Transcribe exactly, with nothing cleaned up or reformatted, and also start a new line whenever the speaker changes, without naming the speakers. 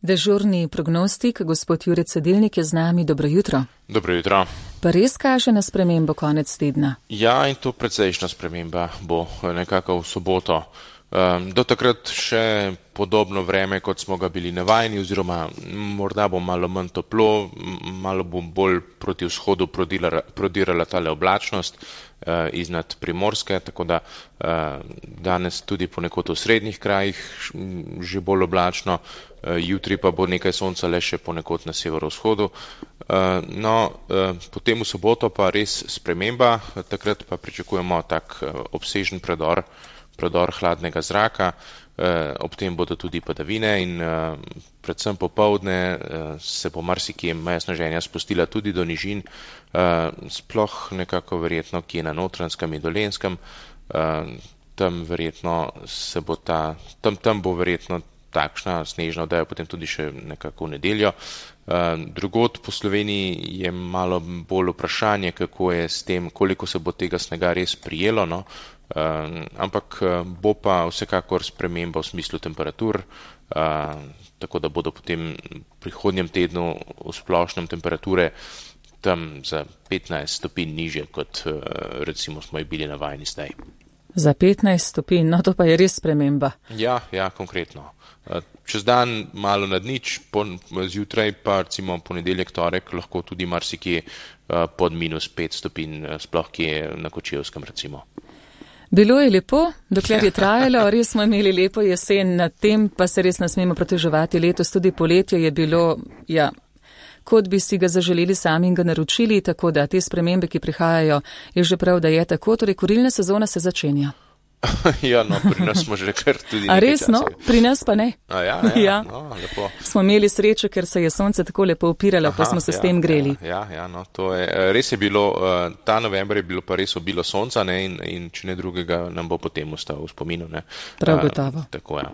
Dežurni prognostik, gospod Jure Cedilnik je z nami. Dobro jutro.
Dobro jutro.
Pa res kaže na spremembo konec tedna?
Ja, in to precejšnja sprememba bo nekako v soboto. Um, do takrat še podobno vreme, kot smo ga bili navajeni, oziroma morda bo malo manj toplo, malo bo bolj proti vzhodu prodirala, prodirala tale oblačnost uh, iznad Primorske, tako da uh, danes tudi ponekod v srednjih krajih že bolj oblačno, uh, jutri pa bo nekaj sonca le še ponekod na severovzhodu. Uh, no, uh, potem v soboto pa res sprememba, takrat pa pričakujemo tak uh, obsežen predor predor hladnega zraka, eh, ob tem bodo tudi padavine in eh, predvsem popoldne eh, se bo marsikje meja sneženja spustila tudi do nižin, eh, sploh nekako verjetno kje na Notranjskem in Dolenjskem, eh, tam verjetno se bo ta, tam, tam bo verjetno takšna snežna odeja potem tudi še nekako v nedeljo. Uh, drugod po Sloveniji je malo bolj vprašanje, kako je s tem, koliko se bo tega snega res prijelo, no? uh, ampak uh, bo pa vsekakor sprememba v smislu temperatur, uh, tako da bodo potem v prihodnjem tednu v splošnem temperature tam za petnajst stopinj nižje, kot uh, recimo smo jih bili navajeni zdaj.
Za petnajst stopinj, no to pa je res sprememba.
Ja, ja, konkretno. Čez dan malo nad nič, zjutraj pa recimo ponedeljek, torek lahko tudi marsikje pod minus pet stopinj, sploh kje na Kočevskem recimo.
Bilo je lepo, dokler je trajalo, res smo imeli lepo jesen, nad tem pa se res ne smemo proteževati. Letos tudi poletje je bilo, ja, kot bi si ga zaželeli sami in ga naročili, tako da te spremembe, ki prihajajo, je že prav, da je tako, torej kurilna sezona se začenja.
Ja, no, pri nas smo že kar tudi nekaj časa.
A res, no? Pri nas pa ne.
A ja, ja,
ja.
No, lepo.
Smo imeli srečo, ker se je sonce tako lepo upiralo, pa smo se
ja,
s tem greli.
Ja, ja, no, to je, res je bilo, ta november je bilo pa res obilo sonca, ne, in, in če ne drugega nam bo potem ostal v spominu, ne.
Prav gotovo.
Tako, ja.